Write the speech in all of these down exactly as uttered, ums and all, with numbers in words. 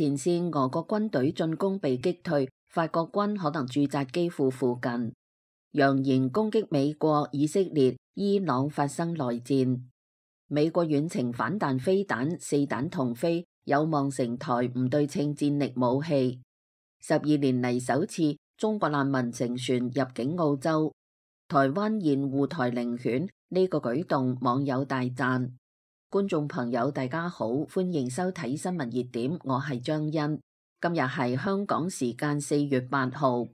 前線俄國軍隊進攻被擊退，法國軍可能駐紮基輔附近，揚言攻擊美國、以色列、伊朗發生內戰。美國遠程反彈飛彈四彈同飛，有望成台唔對稱戰力武器。十二年嚟首次中國難民乘船入境澳洲，台灣現護台領犬，呢個舉動網友大讚。觀眾朋友大家好，歡迎收睇新聞熱點，我係張欣。今日係香港時間四月八號。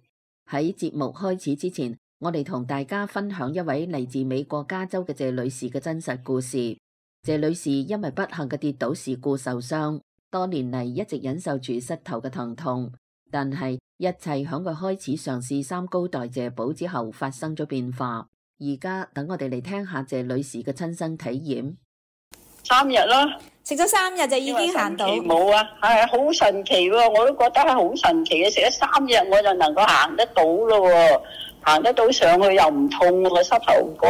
喺節目開始之前，我哋同大家分享一位嚟自美國加州嘅謝女士嘅真實故事。謝女士因為不幸嘅跌倒事故受傷，多年嚟一直忍受住膝頭嘅疼痛。但係一切響佢開始嘗試三高代謝寶之後發生咗變化。而家等我哋嚟聽下謝女士嘅親身體驗。三日啦，食咗三日就已經行到。冇啊，係好神奇喎！我都覺得係好神奇嘅，食咗三日我就能夠行得到咯，行得到上去又唔痛個膝頭哥。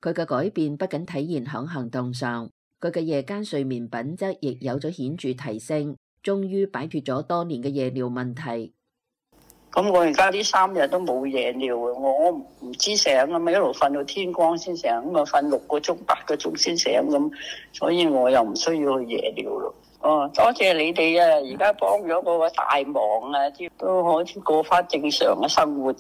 佢嘅改變不僅體現響行動上，佢嘅夜間睡眠品質亦有咗顯著提升。終於擺脫咗多年嘅夜尿問題。咁我而家呢三日都冇夜尿啊！我唔知醒啊嘛，一路瞓到天光先醒，咁啊瞓六個鐘、八個鐘先醒咁，所以我又唔需要去夜尿咯。哦，多謝你哋啊！而家幫咗我個大忙啊，都可以過翻正常嘅生活。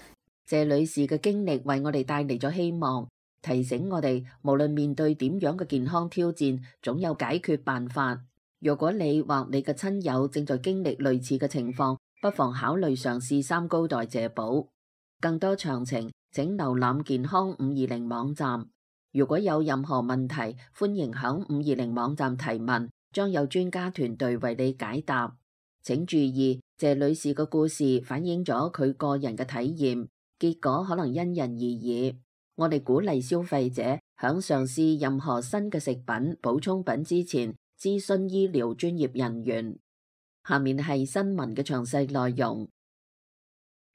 謝女士嘅經歷為我哋帶嚟咗希望，提醒我哋無論面對點樣嘅健康挑戰，總有解決辦法。如果你或你嘅親友正在經歷類似嘅情況，不妨考慮嘗試三高代謝寶。更多詳情請瀏覽健康五二零網站。如果有任何問題，歡迎響五二零網站提問，將有專家團隊為你解答。請注意，謝女士嘅故事反映咗佢個人嘅體驗，結果可能因人而異。我哋鼓勵消費者響嘗試任何新嘅食品、補充品之前，諮詢醫療專業人員。下面係新聞嘅詳細內容。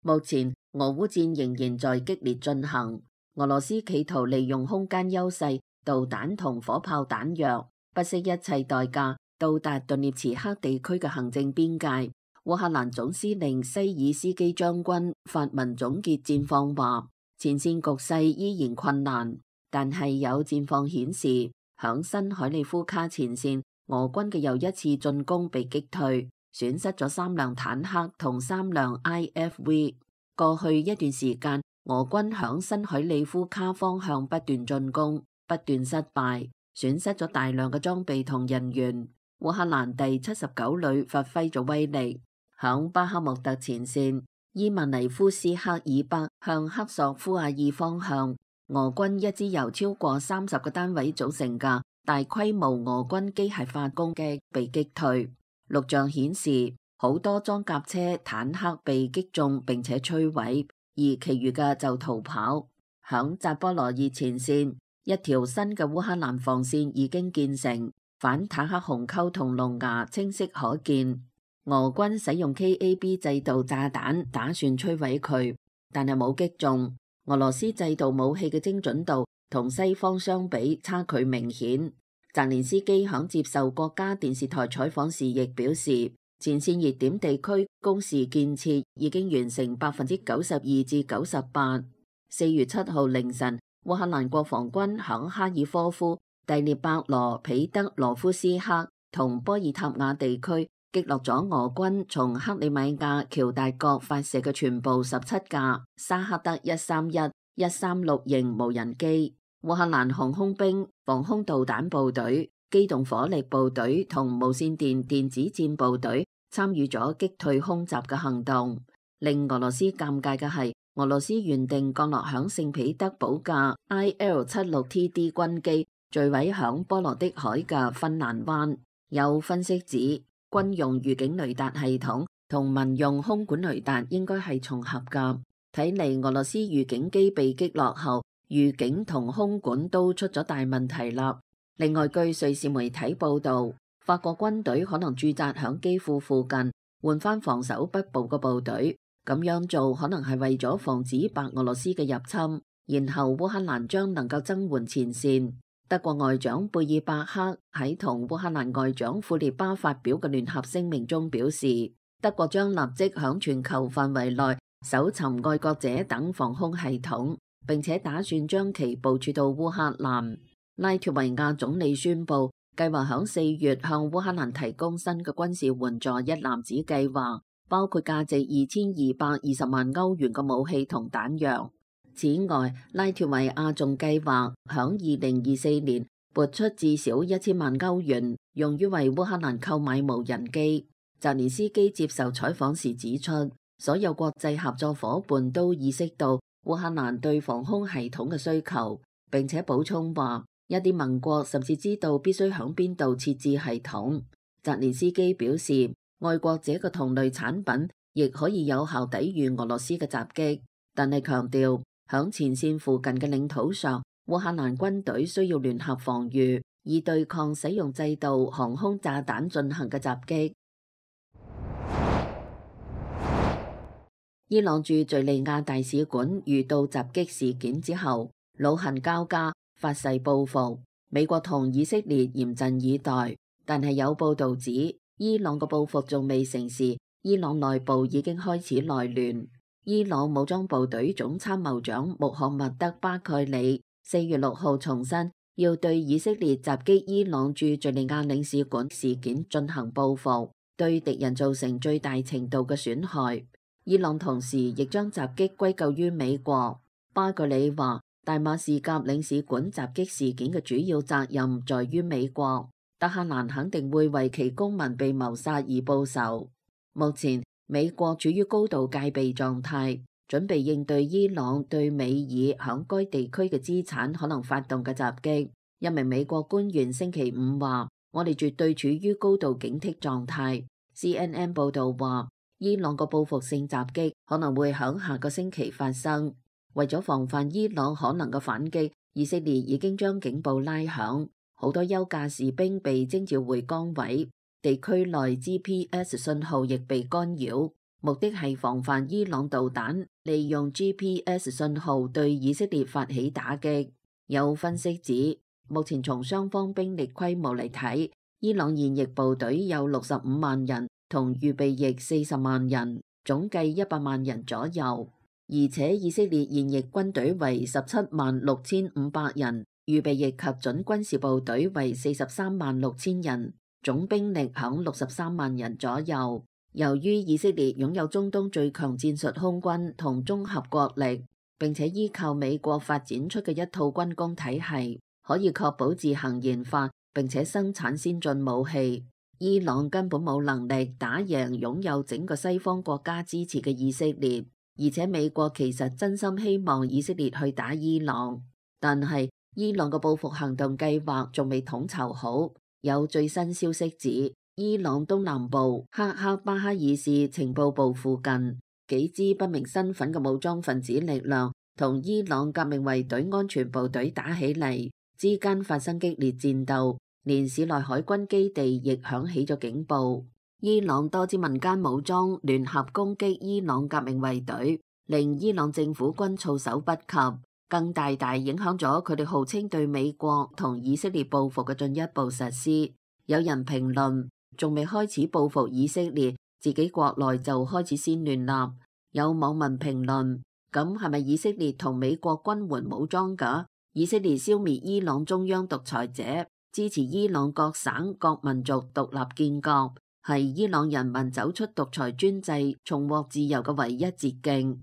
目前俄烏戰仍然在激烈進行，俄羅斯企圖利用空間優勢、導彈同火炮彈藥，不惜一切代價到達頓涅茨克地區嘅行政邊界。烏克蘭總司令西爾斯基將軍發文總結戰況話，前線局勢依然困難，但係有戰況顯示，響新海利夫卡前線，俄軍嘅又一次進攻被擊退，損失咗三輛坦克同三輛 I F V。過去一段時間，俄軍響新海利夫卡方向不斷進攻，不斷失敗，損失咗大量嘅裝備同人員。烏克蘭第七十九旅發揮咗威力，響巴克穆特前線，伊萬尼夫斯克以北向克索夫亞爾方向，俄軍一支由超過三十個單位組成嘅大規模俄軍機械化攻擊被擊退，錄像顯示好多裝甲車、坦克被擊中並且摧毀，而其餘嘅就逃跑。響扎波羅熱前線，一條新嘅烏克蘭防線已經建成，反坦克鴻溝同龍牙清晰可見。俄軍使用 K A B 制導炸彈打算摧毀佢，但係冇擊中。俄羅斯制導武器嘅精準度同西方相比差距明顯。澤連斯基響接受國家電視台採訪時亦表示，前線熱點地區工事建設已經完成百分之九十二至九十八。四月七號凌晨，烏克蘭國防軍響哈爾科夫、第聶伯羅彼得羅夫斯克同波爾塔瓦地區擊落咗俄軍從克里米亞喬達角發射嘅全部十七架沙克德一三一、一三六型無人機。烏克蘭航空兵、防空導彈部隊、機動火力部隊同無線電電子戰部隊參與咗擊退空襲嘅行動。令俄羅斯尷尬嘅係，俄羅斯原定降落響聖彼得堡嘅 I L 七六 T D 軍機墜毀響波羅的海嘅芬蘭灣。有分析指，軍用預警雷達系統同民用空管雷達應該係重合㗎。睇嚟俄羅斯預警機被擊落後，預警同空管都出咗大問題啦。另外，據瑞士媒體報道，法國軍隊可能駐紮響基輔附近，換翻防守北部嘅部隊。咁樣做可能係為咗防止白俄羅斯嘅入侵，然後烏克蘭將能夠增援前線。德國外長貝爾伯克喺同烏克蘭外長庫列巴發表嘅聯合聲明中表示，德國將立即響全球範圍內搜尋愛國者等防空系統，並且打算將其部署到烏克蘭。拉脫維亞總理宣布，計劃響四月向烏克蘭提供新嘅軍事援助一攬子計劃，包括價值二千二百二十萬歐元嘅武器同彈藥。此外，拉脫維亞仲計劃響二零二四年撥出至少一千萬歐元，用於為烏克蘭購買無人機。澤連斯基接受採訪時指出，所有國際合作夥伴都意識到烏克蘭對防空系統嘅需求，並且補充話，一啲盟國甚至知道必須響邊度設置系統。澤連斯基表示，愛國者嘅同類產品亦可以有效抵禦俄羅斯嘅襲擊，但係強調響前線附近嘅領土上，烏克蘭軍隊需要聯合防禦，以對抗使用制導航空炸彈進行嘅襲擊。伊朗駐敘利亞大使館遇到襲擊事件之後，惱恨交加，發誓報復。美國同以色列嚴陣以待，但係有報道指，伊朗嘅報復仲未成事，伊朗內部已經開始內亂。伊朗武裝部隊總參謀長穆罕默德巴蓋里四月六號重申，要對以色列襲擊伊朗駐敘利亞領事館事件進行報復，對敵人造成最大程度嘅損害。伊朗同時亦將襲擊歸咎於美國。巴蓋里話，大馬士革領事館襲擊事件嘅主要責任在於美國，德黑蘭肯定會為其公民被謀殺而報仇。目前美國處於高度戒備狀態，準備應對伊朗對美爾響該地區嘅資產可能發動嘅襲擊。一名美國官員星期五話，我哋絕對處於高度警惕狀態。C N N 報道話，伊朗個報復性襲擊可能會響下個星期發生。為咗防範伊朗可能嘅反擊，以色列已經將警報拉響，好多休假士兵被徵召回崗位，地區內 G P S 信號亦被干擾，目的係防範伊朗導彈利用 G P S 信號對以色列發起打擊。有分析指，目前從雙方兵力規模嚟睇，伊朗現役部隊有六十五萬人，同預備役四十萬人，總計一百萬人左右。而且以色列現役軍隊為十七萬六千五百人，預備役及準軍事部隊為四十三萬六千人，總兵力響六十三萬人左右。由於以色列擁有中東最強戰術空軍同綜合國力，並且依靠美國發展出嘅一套軍工體系，可以確保自行研發並且生產先進武器。伊朗根本冇能力打贏擁有整個西方國家支持嘅以色列。而且美國其實真心希望以色列去打伊朗，但係伊朗嘅報復行動計劃仲未統籌好。有最新消息指，伊朗東南部克克巴哈爾市情報部附近，幾支不明身份嘅武裝分子力量同伊朗革命衛隊安全部隊打起嚟，之間發生激烈戰鬥，連市內海軍基地亦響起咗警報。伊朗多支民間武裝聯合攻擊伊朗革命衛隊，令伊朗政府軍措手不及，更大大影響咗佢哋號稱對美國同以色列報復嘅進一步實施。有人評論，仲未開始報復以色列，自己國內就開始先亂立。有網民評論，咁係咪以色列同美國軍援武裝㗎？以色列消滅伊朗中央獨裁者，支持伊朗各省各民族獨立建國，係伊朗人民走出獨裁專制、重獲自由嘅唯一捷徑。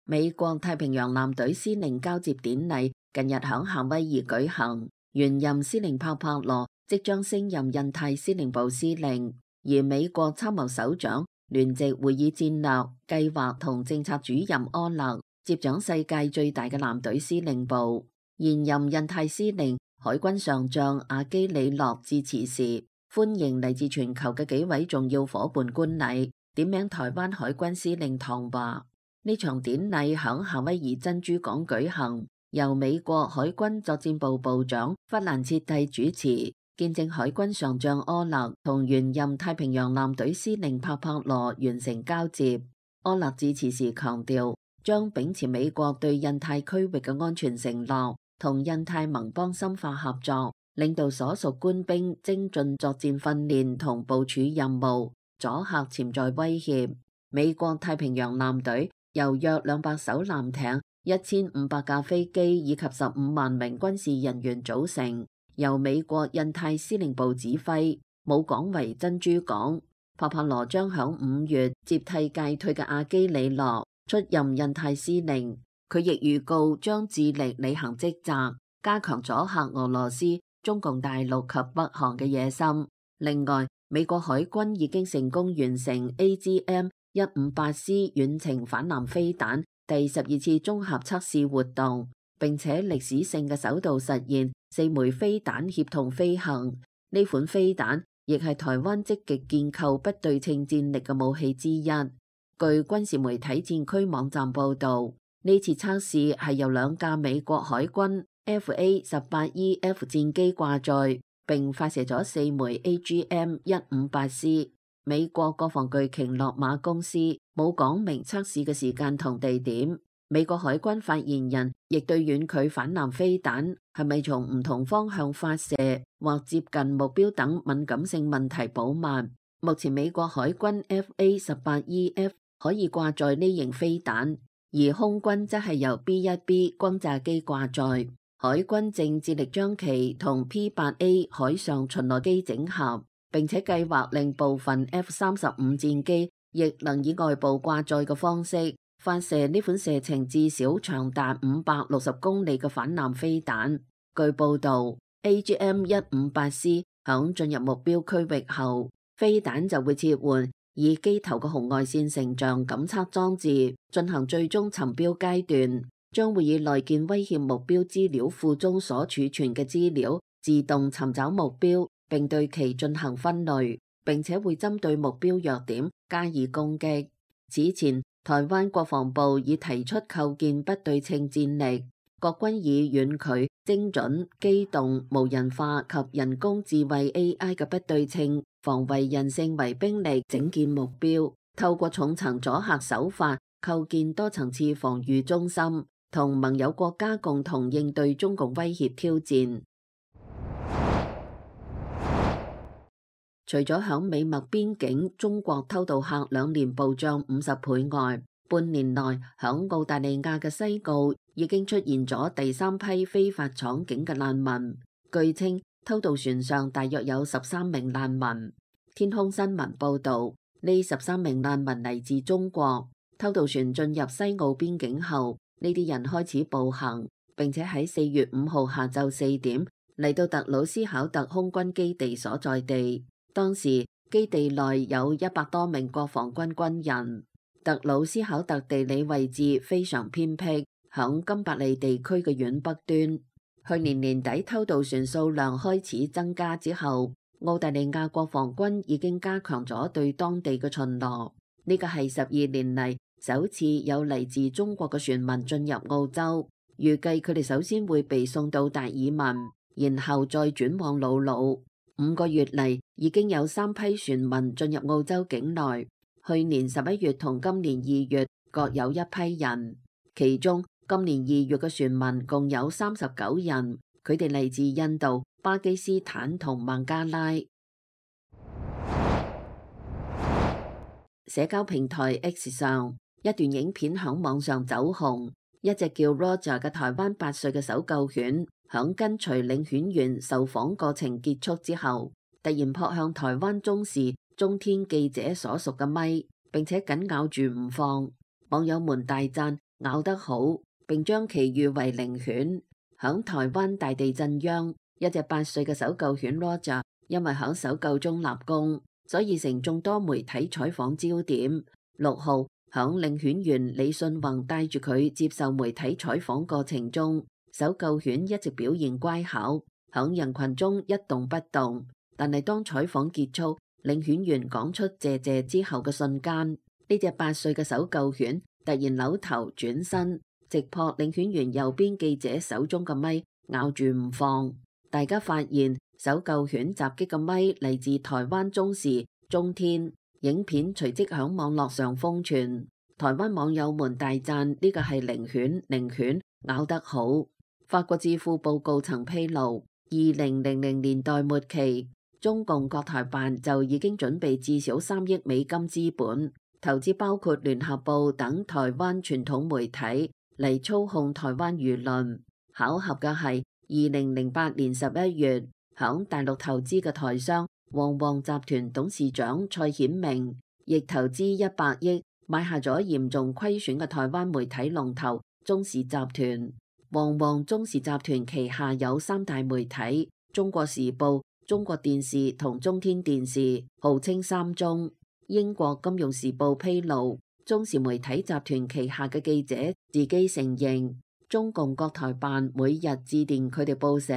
美國太平洋艦隊司令交接典禮近日響夏威夷舉行，原任司令帕帕羅即將升任印太司令部司令，而美國參謀首長、聯席會議戰略、計劃同政策主任柯勒接掌世界最大嘅艦隊司令部。現任印太司令海軍上將阿基里諾致辭時，歡迎嚟自全球嘅幾位重要伙伴觀禮，點名台灣海軍司令唐華。呢場典禮響夏威夷珍珠港舉行，由美國海軍作戰部部長弗蘭切蒂主持，見證海軍上將柯勒同原任太平洋艦隊司令帕帕羅完成交接。柯勒致辭時強調，將秉持美國對印太區域嘅安全承諾，同印太盟邦深化合作，領導所屬官兵精進作戰訓練同部署任務，阻嚇潛在威脅。美國太平洋艦隊由約兩百艘艦艇、一千五百架飛機以及十五萬名軍事人員組成，由美國印太司令部指揮。母港為珍珠港。帕帕羅將響五月接替屆退嘅阿基里諾出任印太司令，佢亦預告將致力履行職責，加強阻嚇俄羅斯、中共大陸及北韓嘅野心。另外，美國海軍已經成功完成 A G M 一五八 C 遠程反艦飛彈第十二次綜合測試活動，並且歷史性嘅首度實現四枚飛彈協同飛行。呢款飛彈亦係台灣積極建構不對稱戰力嘅武器之一。據軍事媒體戰區網站報導，呢次測試係由兩架美國海軍 F A 十八 E F 戰機掛載，並發射咗四枚 A G M 一五八 C。美國國防巨鯨洛馬公司冇講明測試嘅時間同地點。美國海軍發言人亦對遠距反艦飛彈係咪從唔同方向發射或接近目標等敏感性問題保密。目前美國海軍 F A 十八 E F 可以掛載呢型飛彈，而空軍則係由 B 一 B 轟炸機掛載。海軍正致力將其同 P 八 A 海上巡邏機整合，並且計劃令部分 F 三十五戰機亦能以外部掛載嘅方式發射呢款射程至少長達五百六十公里嘅反艦飛彈。據報導 ，A G M 一五八 C 響進入目標區域後，飛彈就會切換以機頭嘅紅外線成像感測裝置進行最終尋標階段，將會以內建威脅目標資料庫中所儲存嘅資料自動尋找目標，並對其進行分類，並且會針對目標弱點加以攻擊。此前，台灣國防部已提出構建不對稱戰力，國軍以遠距、精準、機動、無人化及人工智慧 A I 嘅不對稱防衛人性為兵力整建目標，透過重層阻嚇手法構建多層次防禦中心，同盟友國家共同應對中共威脅挑戰。除咗響美墨邊境中國偷渡客兩年暴漲五十倍外，半年內響澳大利亞嘅西澳已經出現咗第三批非法闖境嘅難民。據稱，偷渡船上大約有十三名難民。天空新聞報導，呢十三名難民嚟自中國。偷渡船進入西澳邊境後，呢啲人開始步行，並且喺四月五號下晝四點嚟到特魯斯考特空軍基地所在地。當時基地內有一百多名國防軍軍人。特魯斯考特地理位置非常偏僻，響金伯利地區嘅遠北端。去年年底偷渡船數量開始增加之後，澳大利亞國防軍已經加強咗對當地嘅巡邏。呢個係十二年嚟首次有嚟自中國嘅船民進入澳洲，預計佢哋首先會被送到達爾文，然後再轉往魯魯。五個月嚟，已經有三批船民進入澳洲境內。去年十一月同今年二月各有一批人，其中今年二月嘅船民共有三十九人，佢哋嚟自印度、巴基斯坦同孟加拉。社交平台 X 上，一段影片響網上走紅，一隻叫 Roger 嘅台灣八歲嘅搜救犬，響跟隨領犬員受訪過程結束之後，突然撲向台灣中視中天記者所屬嘅咪，並且緊咬住唔放。網友們大讚咬得好，並將其譽為靈犬。響台灣大地震央，一隻八歲嘅搜救犬 Roger 因為響搜救中立功，所以成眾多媒體採訪焦點。六號響領犬員李信宏帶住佢接受媒體採訪過程中，搜救犬一直表現乖巧，響人群中一動不動。但係當採訪結束，領犬員講出謝謝之後嘅瞬間，呢隻八歲嘅搜救犬突然扭頭轉身，直撲領犬員右邊記者手中嘅咪，咬住唔放。大家發現搜救犬襲擊嘅咪嚟自台灣中視中天，影片隨即響網絡上瘋傳。台灣網友們大讚呢個係靈犬，靈犬咬得好。法國智庫報告曾披露，二零零零年代末期，中共國台辦就已經準備至少三億美金資本，投資包括聯合報等台灣傳統媒體嚟操控台灣輿論。巧合嘅係，二零零八年十一月，響大陸投資嘅台商旺旺集團董事長蔡顯明亦投資一百億買下咗嚴重虧損嘅台灣媒體龍頭中視集團。旺旺中視集團旗下有三大媒體：中國時報、中國電視同中天電視，號稱三中。英國金融時報披露，中視媒體集團旗下嘅記者自己承認，中共國台辦每日致電佢哋報社，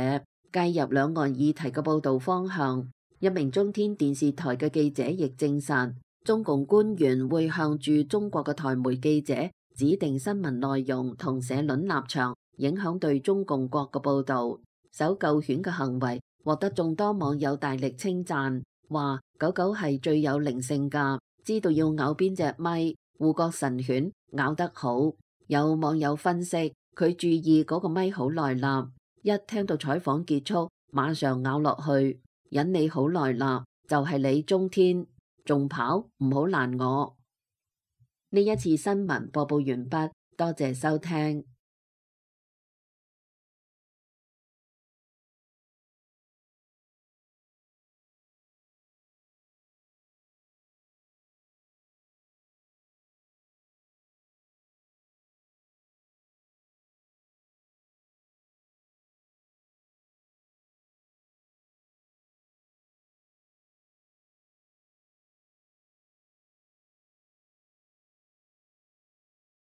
介入兩岸議題嘅報道方向。一名中天電視台嘅記者亦證實，中共官員會向駐中國嘅台媒記者指定新聞內容同社論立場，影響對中共國嘅報導。搜救犬嘅行為獲得眾多網友大力稱讚，話狗狗係最有靈性㗎，知道要咬邊隻咪，護國神犬咬得好。有網友分析，佢注意嗰個咪好耐啦，一聽到採訪結束，馬上咬落去，忍你好耐啦，就係你中天，仲跑，唔好攔我。呢一次新聞播報完畢，多謝收聽。